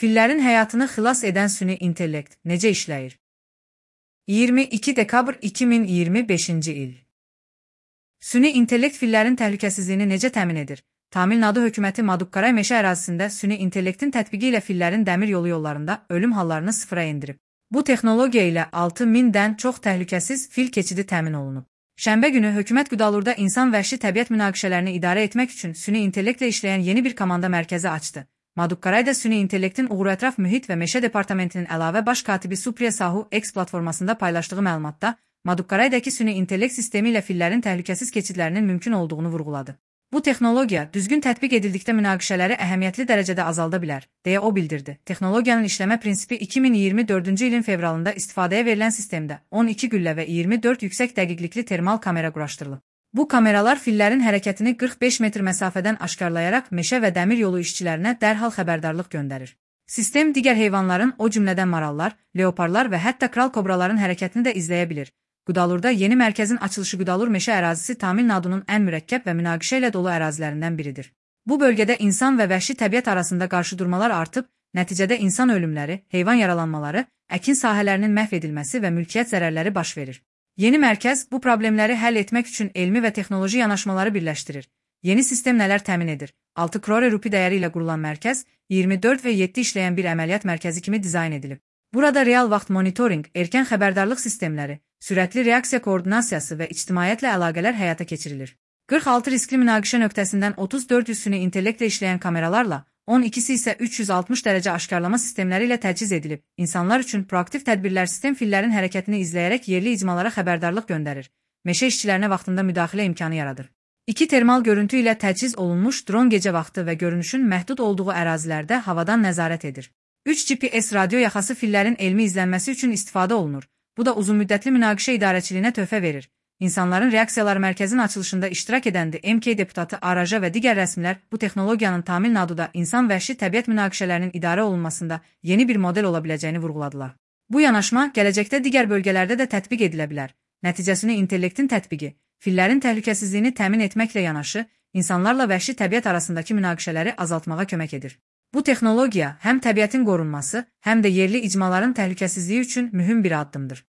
Fillərin həyatını xilas edən süni intellekt necə işləyir? 22 dekabr 2025-ci il. Süni intellekt fillərin təhlükəsizliyini necə təmin edir? Tamil Nadu hökuməti Madukkaray meşə ərazisində süni intellektin tətbiqi ilə fillərin dəmir yolu yollarında ölüm hallarını sıfıra endirib. Bu texnologiya ilə 6000-dən çox təhlükəsiz fil keçidi təmin olunub. Şənbə günü hökumət Qudalurda insan-vəhşi təbiət münaqişələrini idarə etmək üçün süni intellektlə işləyən yeni bir komanda mərkəzi açdı. Madukkaray da süni intellektin uğurətraf mühit və meşə departamentinin əlavə baş katibi Supriya Sahu X platformasında paylaşdığı məlumatda, Madukkaraydakı süni intellekt sistemi ilə fillərin təhlükəsiz keçidlərinin mümkün olduğunu vurğuladı. Bu texnologiya düzgün tətbiq edildikdə münaqişələri əhəmiyyətli dərəcədə azalda bilər, deyə o bildirdi. Texnologiyanın işləmə prinsipi 2024-cü ilin fevralında istifadəyə verilən sistemdə 12 güllə və 24 yüksək dəqiqlikli termal kamera quraşdırılıb. Bu kameralar fillərin hərəkətini 45 metr məsafədən aşkarlayaraq meşə və dəmir yolu işçilərinə dərhal xəbərdarlıq göndərir. Sistem digər heyvanların, o cümlədən marallar, leoparlar və hətta kral kobraların hərəkətini də izləyə bilir. Qudalurda yeni mərkəzin açılışı Qudalur meşə ərazisi Tamil Nadunun ən mürəkkəb və münaqişə ilə dolu ərazilərindən biridir. Bu bölgədə insan və vəhşi təbiət arasında qarşıdurmalar artıb, nəticədə insan ölümləri, heyvan yaralanmaları, əkin sahələrinin məhv edilməsi və mülkiyyət zərərləri baş verir. Yeni mərkəz bu problemləri həll etmək üçün elmi və texnoloji yanaşmaları birləşdirir. Yeni sistem nələr təmin edir? 6 crore rupi dəyəri ilə qurulan mərkəz 24 və 7 işləyən bir əməliyyat mərkəzi kimi dizayn edilib. Burada real vaxt monitoring, erkən xəbərdarlıq sistemləri, sürətli reaksiya koordinasiyası və ictimaiyyətlə əlaqələr həyata keçirilir. 46 riskli münaqişə nöqtəsindən 34 süni intellektlə işləyən kameralarla, 12-si isə 360 dərəcə aşkarlama sistemləri ilə təchiz edilib. İnsanlar üçün proaktiv tədbirlər sistem fillərin hərəkətini izləyərək yerli icmalara xəbərdarlıq göndərir. Meşə işçilərinə vaxtında müdaxilə imkanı yaradır. 2 termal görüntü ilə təchiz olunmuş dron gecə vaxtı və görünüşün məhdud olduğu ərazilərdə havadan nəzarət edir. 3 GPS radio yaxası fillərin elmi izlənməsi üçün istifadə olunur. Bu da uzunmüddətli münaqişə idarəçiliyinə töhfə verir. İnsanların reaksiyaları mərkəzin açılışında iştirak edəndi. MK deputatı Araja və digər rəsmilər bu texnologiyanın Tamil Naduda insan-vəhşi təbiət münaqişələrinin idarə olunmasında yeni bir model ola biləcəyini vurğuladılar. Bu yanaşma gələcəkdə digər bölgələrdə də tətbiq edilə bilər. Nəticəsini intellektin tətbiqi, fillərin təhlükəsizliyini təmin etməklə yanaşı, insanlarla vəhşi təbiət arasındakı münaqişələri azaltmağa kömək edir. Bu texnologiya həm təbiətin qorunması, həm də yerli icmaların təhlükəsizliyi üçün mühüm bir addımdır.